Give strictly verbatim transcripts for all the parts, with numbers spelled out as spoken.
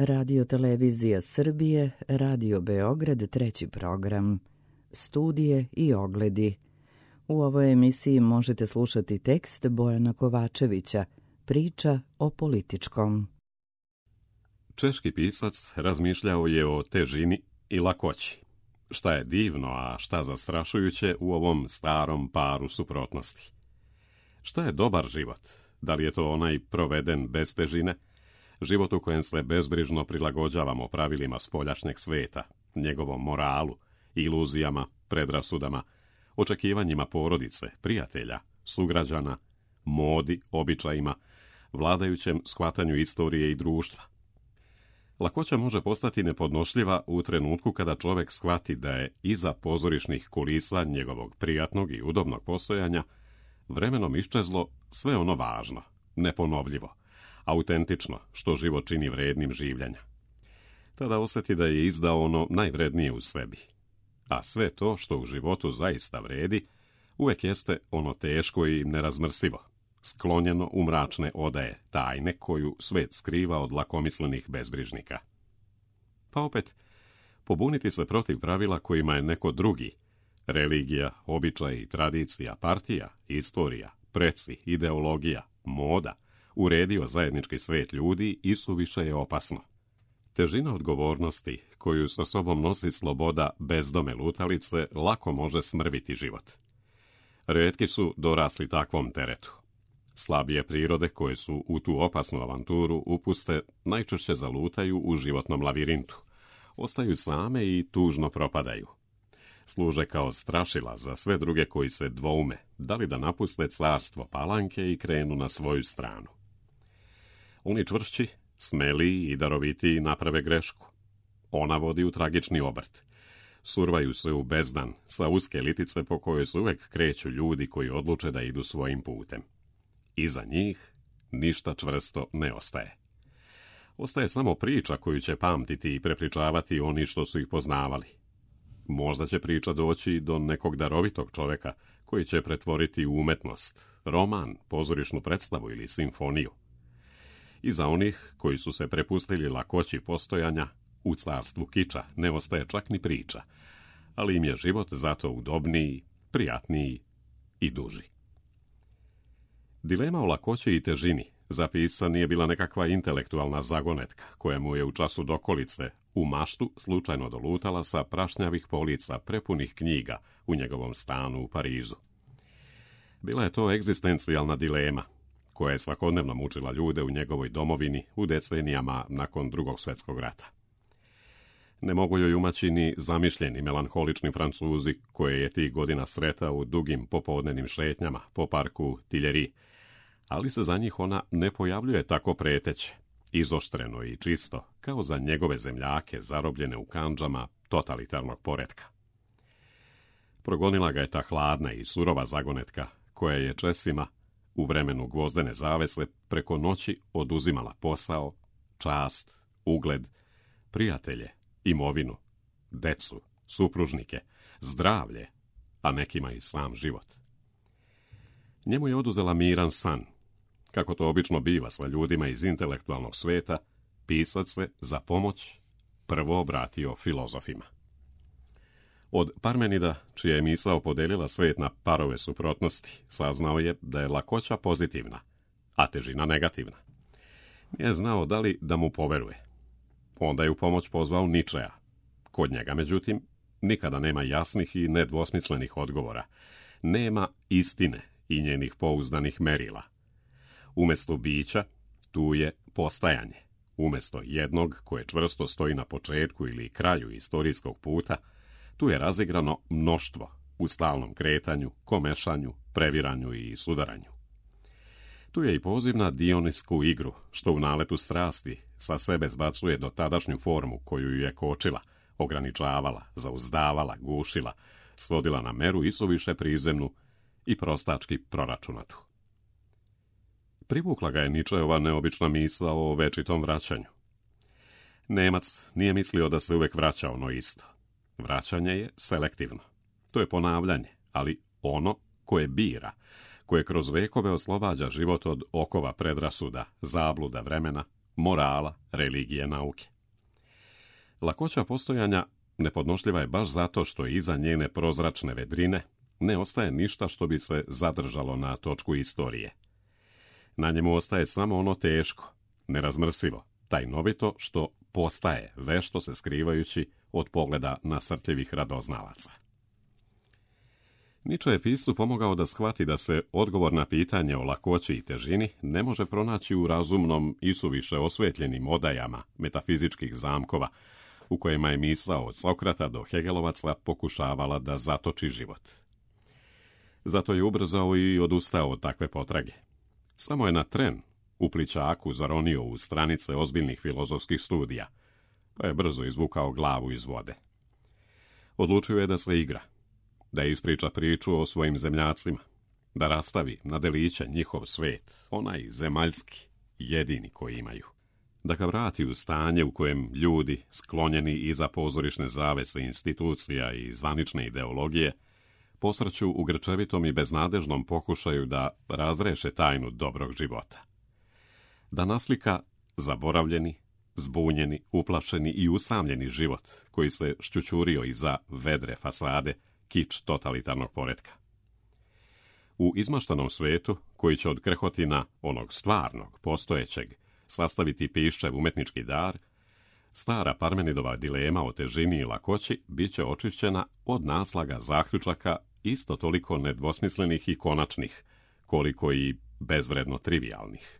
Radio Televizija Srbije, Radio Beograd, treći program, studije i ogledi. U ovoj emisiji možete slušati tekst Bojana Kovačevića, priča o političkom. Češki pisac razmišljao je o težini i lakoći. Šta je divno, a šta zastrašujuće u ovom starom paru suprotnosti. Šta je dobar život? Da li je to onaj proveden bez težine? Život u kojem se bezbrižno prilagođavamo pravilima spoljašnjeg sveta, njegovom moralu, iluzijama, predrasudama, očekivanjima porodice, prijatelja, sugrađana, modi, običajima, vladajućem shvatanju istorije i društva. Lakoća može postati nepodnošljiva u trenutku kada čovjek shvati da je iza pozorišnih kulisa njegovog prijatnog i udobnog postojanja vremenom iščezlo sve ono važno, neponovljivo, autentično, što život čini vrednim življenja. Tada osjeti da je izdao ono najvrednije u sebi. A sve to što u životu zaista vredi, uvek jeste ono teško i nerazmrsivo, sklonjeno u mračne odaje, tajne koju svet skriva od lakomislenih bezbrižnika. Pa opet, pobuniti se protiv pravila kojima je neko drugi, religija, običaj, tradicija, partija, istorija, preci, ideologija, moda, uredio zajednički svet ljudi isuviše je opasno. Težina odgovornosti koju sa sobom nosi sloboda bezdome lutalice lako može smrviti život. Retki su dorasli takvom teretu. Slabije prirode koje su u tu opasnu avanturu upuste najčešće zalutaju u životnom lavirintu. Ostaju same i tužno propadaju. Služe kao strašila za sve druge koji se dvoume, da li da napuste carstvo palanke i krenu na svoju stranu. Oni čvršći, smeli i darovitiji naprave grešku. Ona vodi u tragični obrt. Survaju se u bezdan sa uske litice po kojoj se uvek kreću ljudi koji odluče da idu svojim putem. Iza njih ništa čvrsto ne ostaje. Ostaje samo priča koju će pamtiti i prepričavati oni što su ih poznavali. Možda će priča doći do nekog darovitog čoveka koji će pretvoriti u umetnost, roman, pozorišnu predstavu ili simfoniju. I za onih koji su se prepustili lakoći postojanja, u carstvu kiča ne ostaje čak ni priča, ali im je život zato udobniji, prijatniji i duži. Dilema o lakoći i težini za pisca nije bila nekakva intelektualna zagonetka koja mu je u času dokolice u maštu slučajno dolutala sa prašnjavih polica prepunih knjiga u njegovom stanu u Parizu. Bila je to egzistencijalna dilema koja je svakodnevno mučila ljude u njegovoj domovini u decenijama nakon Drugog svjetskog rata. Ne mogu joj umaći ni zamišljeni melanholični Francuzi koje je tih godina sretao u dugim popodnevnim šetnjama po parku Tiljeri, ali se za njih ona ne pojavljuje tako preteće, izoštreno i čisto, kao za njegove zemljake zarobljene u kandžama totalitarnog poretka. Progonila ga je ta hladna i surova zagonetka koja je Česima u vremenu gvozdene zavese preko noći oduzimala posao, čast, ugled, prijatelje, imovinu, decu, supružnike, zdravlje, a nekima i sam život. Njemu je oduzela miran san. Kako to obično biva sa ljudima iz intelektualnog sveta, pisac se za pomoć prvo obratio filozofima. Od Parmenida, čija je misao podelila svet na parove suprotnosti, saznao je da je lakoća pozitivna, a težina negativna. Nije znao da li da mu poveruje. Onda je u pomoć pozvao Ničea. Kod njega, međutim, nikada nema jasnih i nedvosmislenih odgovora. Nema istine i njenih pouzdanih merila. Umjesto bića, tu je postajanje. Umjesto jednog koje čvrsto stoji na početku ili kraju istorijskog puta, tu je razigrano mnoštvo u stalnom kretanju, komešanju, previranju i sudaranju. Tu je i poziv na dionisku igru, što u naletu strasti sa sebe zbacuje do tadašnju formu koju ju je kočila, ograničavala, zauzdavala, gušila, svodila na meru isuviše prizemnu i prostački proračunatu. Privukla ga je Ničeova neobična misao o večitom vraćanju. Nemac nije mislio da se uvek vraća ono isto. Vraćanje je selektivno. To je ponavljanje, ali ono koje bira, koje kroz vekove oslobađa život od okova predrasuda, zabluda vremena, morala, religije, nauke. Lakoća postojanja nepodnošljiva je baš zato što iza njene prozračne vedrine ne ostaje ništa što bi se zadržalo na točku istorije. Na njemu ostaje samo ono teško, nerazmrsivo, tajnovito što postaje, vešto se skrivajući od pogleda nasrtljivih radoznalaca. Nietzsche je piscu pomogao da shvati da se odgovor na pitanje o lakoći i težini ne može pronaći u razumnom i suviše osvetljenim odajama metafizičkih zamkova, u kojima je misao od Sokrata do Hegelovaca pokušavala da zatoči život. Zato je ubrzao i odustao od takve potrage. Samo je na tren u plićaku zaronio u stranice ozbiljnih filozofskih studija, pa je brzo izvukao glavu iz vode. Odlučio je da se igra, da ispriča priču o svojim zemljacima, da rastavi na deliće njihov svet, onaj zemaljski, jedini koji imaju. Da ga vrati u stanje u kojem ljudi, sklonjeni iza pozorišne zavese institucija i zvanične ideologije, posrću u grčevitom i beznadežnom pokušaju da razreše tajnu dobrog života. Da naslika zaboravljeni, zbunjeni, uplašeni i usamljeni život koji se šćućurio iza vedre fasade kič totalitarnog poretka. U izmaštanom svetu, koji će od krhotina onog stvarnog, postojećeg, sastaviti piščev umetnički dar, stara Parmenidova dilema o težini i lakoći bit će očišćena od naslaga zaključaka isto toliko nedvosmislenih i konačnih, koliko i bezvredno trivialnih.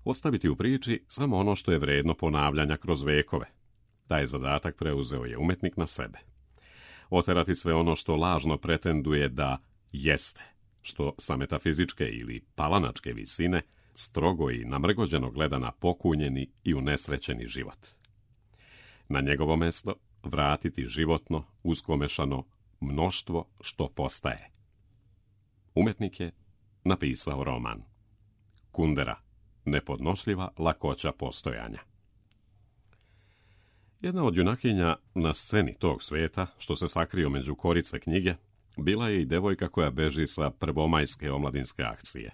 Ostaviti u priči samo ono što je vredno ponavljanja kroz vekove. Taj zadatak preuzeo je umetnik na sebe. Oterati sve ono što lažno pretenduje da jeste, što sa metafizičke ili palanačke visine strogo i namrgođeno gleda na pokunjeni i unesrećeni život. Na njegovo mesto vratiti životno, uskomešano mnoštvo što postaje. Umetnik je napisao roman Kundera, nepodnošljiva lakoća postojanja. Jedna od junakinja na sceni tog sveta, što se sakrio među korice knjige, bila je i devojka koja beži sa prvomajske omladinske akcije.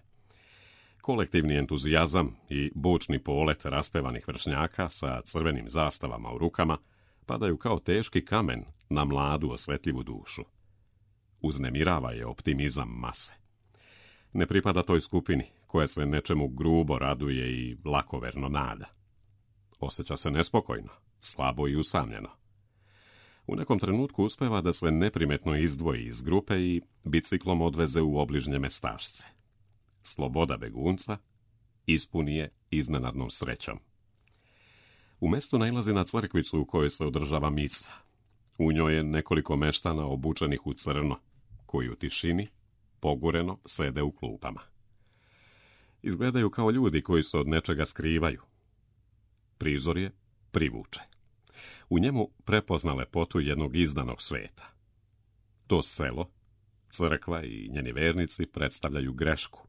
Kolektivni entuzijazam i bučni polet raspevanih vršnjaka sa crvenim zastavama u rukama padaju kao teški kamen na mladu osvetljivu dušu. Uznemirava je optimizam mase. Ne pripada toj skupini koja se nečemu grubo raduje i lakoverno nada. Osjeća se nespokojno, slabo i usamljeno. U nekom trenutku uspeva da se neprimetno izdvoji iz grupe i biciklom odveze u obližnje mestašce. Sloboda begunca ispuni je iznenadnom srećom. U mestu nailazi na crkvicu u kojoj se održava misa. U njoj je nekoliko meštana obučenih u crno, koji u tišini, pogureno, sede u klupama. Izgledaju kao ljudi koji se od nečega skrivaju. Prizor je privuče. U njemu prepozna lepotu jednog izdanog sveta. To selo, crkva i njeni vernici predstavljaju grešku,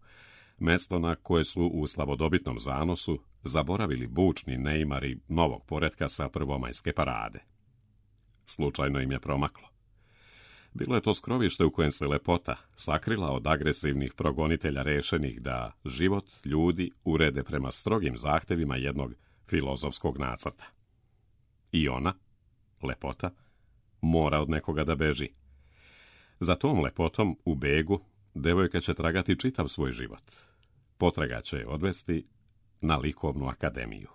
mesto na koje su u slavodobitnom zanosu zaboravili bučni neimari novog poretka sa prvomajske parade. Slučajno im je promaklo. Bilo je to skrovište u kojem se lepota sakrila od agresivnih progonitelja rešenih da život ljudi urede prema strogim zahtevima jednog filozofskog nacrta. I ona, lepota, mora od nekoga da beži. Za tom lepotom u begu devojka će tragati čitav svoj život. Potraga će je odvesti na likovnu akademiju.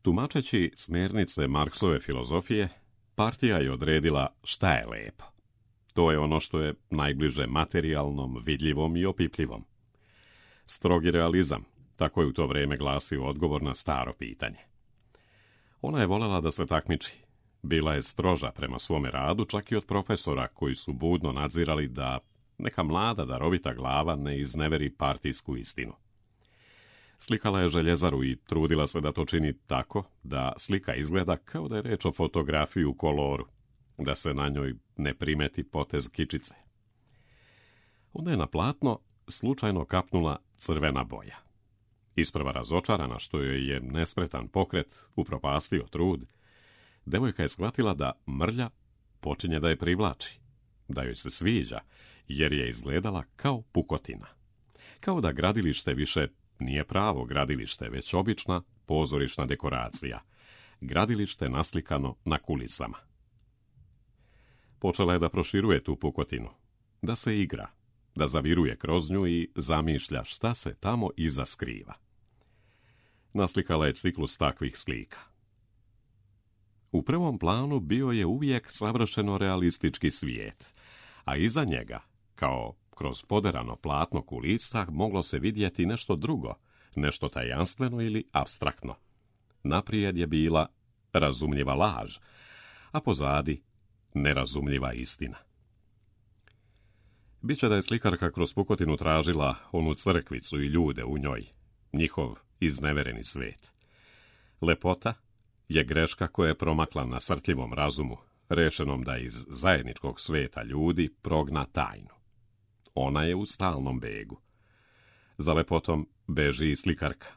Tumačeći smjernice Marksove filozofije, partija je odredila šta je lepo. To je ono što je najbliže materijalnom, vidljivom i opipljivom. Strogi realizam, tako je u to vrijeme glasio odgovor na staro pitanje. Ona je voljela da se takmiči. Bila je stroža prema svome radu, čak i od profesora koji su budno nadzirali da neka mlada darovita glava ne izneveri partijsku istinu. Slikala je željezaru i trudila se da to čini tako da slika izgleda kao da je reč o fotografiji u koloru, da se na njoj ne primeti potez kičice. Onda je na platno slučajno kapnula crvena boja. Isprva razočarana što joj je nespretan pokret upropastio trud, devojka je shvatila da mrlja počinje da je privlači, da joj se sviđa, jer je izgledala kao pukotina. Kao da gradilište više nije pravo gradilište, već obična pozorišna dekoracija. Gradilište naslikano na kulisama. Počela je da proširuje tu pukotinu, da se igra, da zaviruje kroz nju i zamišlja šta se tamo iza skriva. Naslikala je ciklus takvih slika. U prvom planu bio je uvijek savršeno realistički svijet, a iza njega, kao kroz poderano platno kulisa, moglo se vidjeti nešto drugo, nešto tajanstveno ili apstraktno. Naprijed je bila razumljiva laž, a pozadi nerazumljiva istina. Biće da je slikarka kroz pukotinu tražila onu crkvicu i ljude u njoj, njihov iznevereni svet. Lepota je greška koja je promakla na srtljivom razumu, rešenom da iz zajedničkog sveta ljudi progna tajnu. Ona je u stalnom begu. Za lepotom beži i slikarka.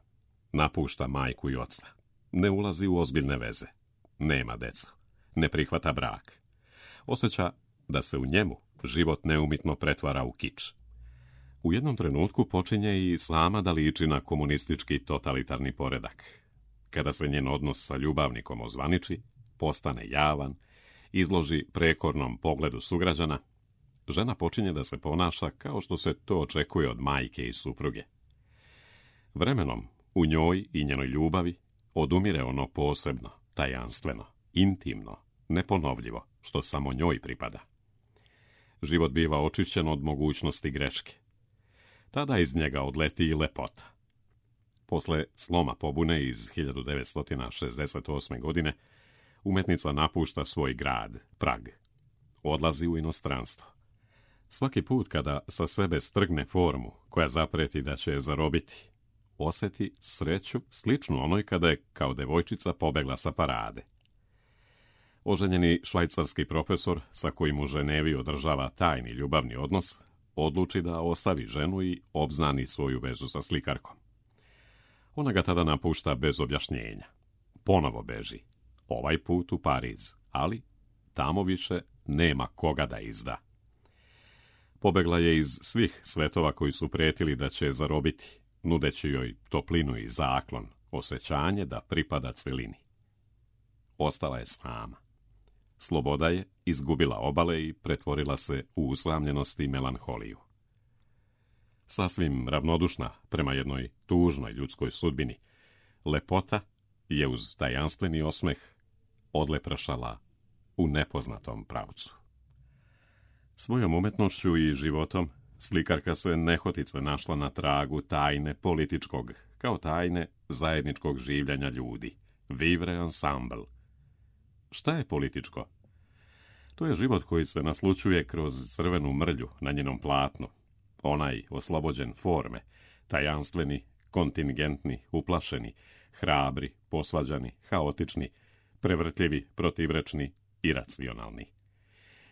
Napušta majku i oca. Ne ulazi u ozbiljne veze. Nema decu. Ne prihvata brak. Osjeća da se u njemu život neumitno pretvara u kič. U jednom trenutku počinje i sama da liči na komunistički totalitarni poredak. Kada se njen odnos sa ljubavnikom ozvaniči, postane javan, izloži prekornom pogledu sugrađana, žena počinje da se ponaša kao što se to očekuje od majke i supruge. Vremenom, u njoj i njenoj ljubavi, odumire ono posebno, tajanstveno, intimno, neponovljivo, što samo njoj pripada. Život biva očišćen od mogućnosti greške. Tada iz njega odleti i lepota. Posle sloma pobune iz hiljadu devetsto šezdeset osme. godine, umetnica napušta svoj grad, Prag. Odlazi u inostranstvo. Svaki put kada sa sebe strgne formu koja zapreti da će je zarobiti, osjeti sreću sličnu onoj kada je kao devojčica pobegla sa parade. Oženjeni švajcarski profesor, sa kojim u Ženevi održava tajni ljubavni odnos, odluči da ostavi ženu i obznani svoju vezu sa slikarkom. Ona ga tada napušta bez objašnjenja. Ponovo beži, ovaj put u Pariz, ali tamo više nema koga da izda. Pobegla je iz svih svetova koji su pretili da će je zarobiti, nudeći joj toplinu i zaklon, osjećanje da pripada celini. Ostala je sama. Sloboda je izgubila obale i pretvorila se u usamljenost i melanholiju. Sasvim ravnodušna prema jednoj tužnoj ljudskoj sudbini, lepota je uz tajanstveni osmeh odleprašala u nepoznatom pravcu. Svojom umetnošću i životom slikarka se nehotice našla na tragu tajne političkog, kao tajne zajedničkog življenja ljudi. Vivre ensemble. Šta je političko? To je život koji se naslućuje kroz crvenu mrlju na njenom platnu. Onaj oslobođen forme, tajanstveni, kontingentni, uplašeni, hrabri, posvađani, haotični, prevrtljivi, protivrečni, iracionalni.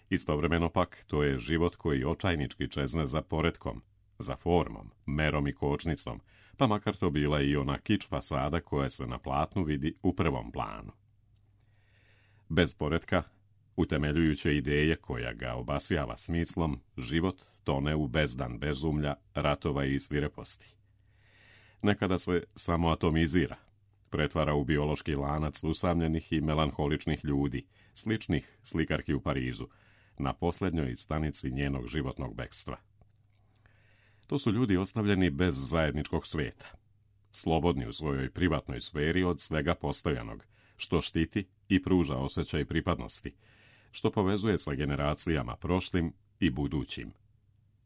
Istovremeno pak, to je život koji očajnički čezne za poretkom, za formom, merom i kočnicom, pa makar to bila i ona kič fasada koja se na platnu vidi u prvom planu. Bez poretka, utemeljujuće ideje koja ga obasjava smislom, život tone u bezdan bezumlja, ratova i svireposti. Nekada se samo atomizira, pretvara u biološki lanac usamljenih i melanholičnih ljudi, sličnih slikarki u Parizu, na posljednjoj stanici njenog životnog bekstva. To su ljudi ostavljeni bez zajedničkog sveta, slobodni u svojoj privatnoj sferi od svega postojanog, što štiti i pruža osjećaj pripadnosti, što povezuje sa generacijama prošlim i budućim,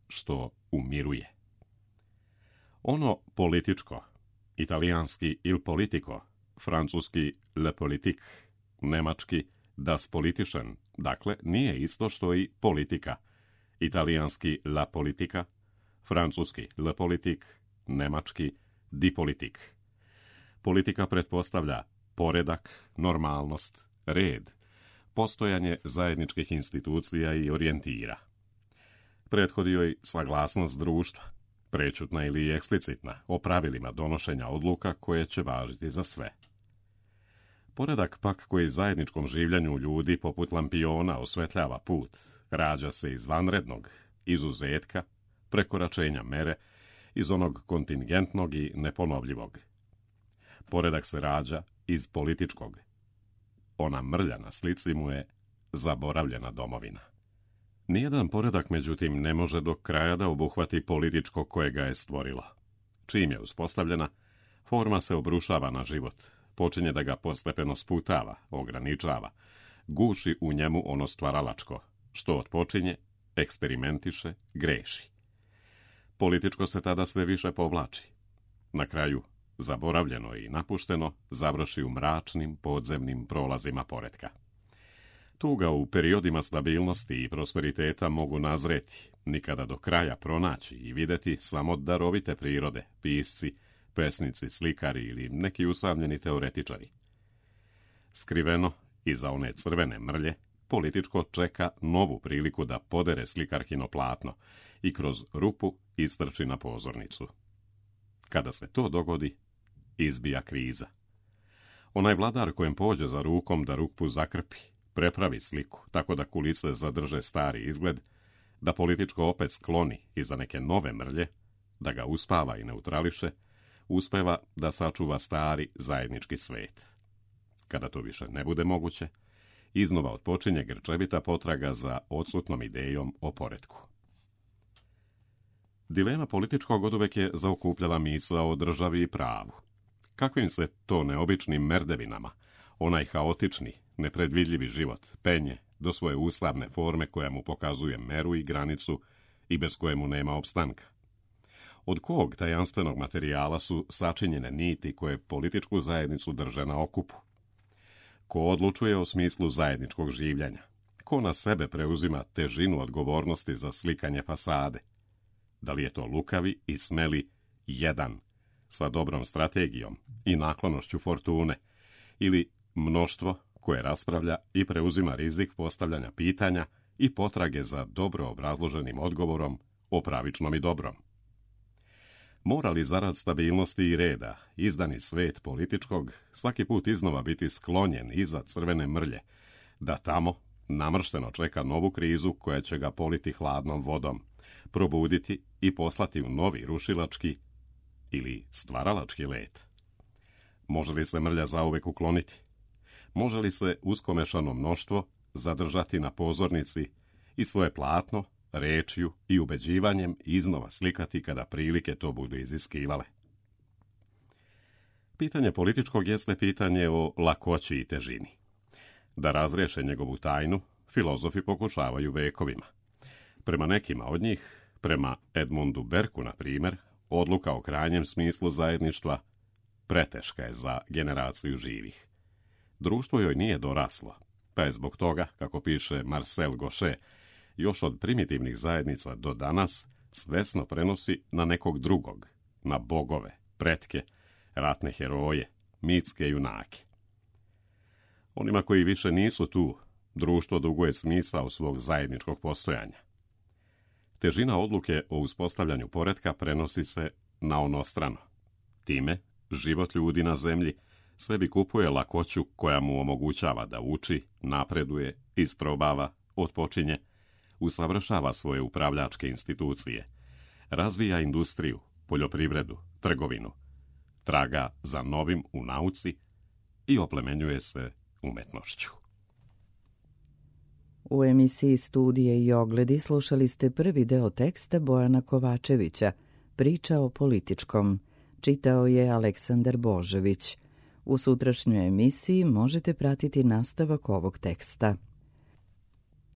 što umiruje. Ono političko, italijanski il politico, francuski le politique, nemački das Politischen, dakle nije isto što i politika, italijanski la politica, francuski le politique, nemački die Politik. Politika pretpostavlja poredak, normalnost, red, postojanje zajedničkih institucija i orijentira. Prethodi joj saglasnost društva, prečutna ili eksplicitna, o pravilima donošenja odluka koje će važiti za sve. Poredak pak koji zajedničkom življenju ljudi poput lampiona osvetljava put, rađa se iz vanrednog, izuzetka, prekoračenja mere iz onog kontingentnog i neponovljivog. Poredak se rađa iz političkog. Ona mrlja na slici mu je zaboravljena domovina. Nijedan poredak, međutim, ne može do kraja da obuhvati političko koje ga je stvorilo. Čim je uspostavljena, forma se obrušava na život, počinje da ga postepeno sputava, ograničava, guši u njemu ono stvaralačko, što otpočinje, eksperimentiše, greši. Političko se tada sve više povlači. Na kraju, zaboravljeno i napušteno, završi u mračnim podzemnim prolazima poretka. Tu ga u periodima stabilnosti i prosperiteta mogu nazreti, nikada do kraja pronaći i videti samo darovite prirode, pisci, pesnici, slikari ili neki usamljeni teoretičari. Skriveno, iza one crvene mrlje, političko čeka novu priliku da podere slikarkino platno i kroz rupu istrči na pozornicu. Kada se to dogodi, izbija kriza. Onaj vladar kojem pođe za rukom da rupu zakrpi, prepravi sliku, tako da kulise zadrže stari izgled, da političko opet skloni iza neke nove mrlje, da ga uspava i neutrališe, uspeva da sačuva stari zajednički svet. Kada to više ne bude moguće, iznova otpočinje grčevita potraga za odsutnom idejom o poretku. Dilema političkog oduvek je zaokupljala misao o državi i pravu. Kakvim se to neobičnim merdevinama, onaj haotični, nepredvidljivi život penje do svoje ustavne forme koja mu pokazuje meru i granicu i bez koje mu nema opstanka. Od kog tajanstvenog materijala su sačinjene niti koje političku zajednicu drže na okupu? Ko odlučuje o smislu zajedničkog življenja? Ko na sebe preuzima težinu odgovornosti za slikanje fasade? Da li je to lukavi i smeli jedan sa dobrom strategijom i naklonošću fortune ili mnoštvo koje raspravlja i preuzima rizik postavljanja pitanja i potrage za dobro obrazloženim odgovorom o pravičnom i dobrom? Mora li zarad stabilnosti i reda izdani svet političkog svaki put iznova biti sklonjen iza crvene mrlje, da tamo namršteno čeka novu krizu koja će ga politi hladnom vodom, probuditi i poslati u novi rušilački ili stvaralački let? Može li se mrlja zauvek ukloniti? Može li se uskomešano mnoštvo zadržati na pozornici i svoje platno, rečju i ubeđivanjem iznova slikati kada prilike to budu iziskivale? Pitanje političkog jeste pitanje o lakoći i težini. Da razriješe njegovu tajnu, filozofi pokušavaju vekovima. Prema nekima od njih, prema Edmundu Berku, na primjer, odluka o krajnjem smislu zajedništva preteška je za generaciju živih. Društvo joj nije doraslo, pa je zbog toga, kako piše Marcel Gauchet, još od primitivnih zajednica do danas svesno prenosi na nekog drugog, na bogove, pretke, ratne heroje, mitske junake. Onima koji više nisu tu, društvo duguje smisao svog zajedničkog postojanja. Težina odluke o uspostavljanju poretka prenosi se na onostrano. Time, život ljudi na zemlji sebi kupuje lakoću koja mu omogućava da uči, napreduje, isprobava, otpočinje, usavršava svoje upravljačke institucije, razvija industriju, poljoprivredu, trgovinu, traga za novim u nauci i oplemenjuje se umetnošću. U emisiji Studije i ogledi slušali ste prvi deo teksta Bojana Kovačevića, Priča o političkom. Čitao je Aleksandar Božević. U sutrašnjoj emisiji možete pratiti nastavak ovog teksta.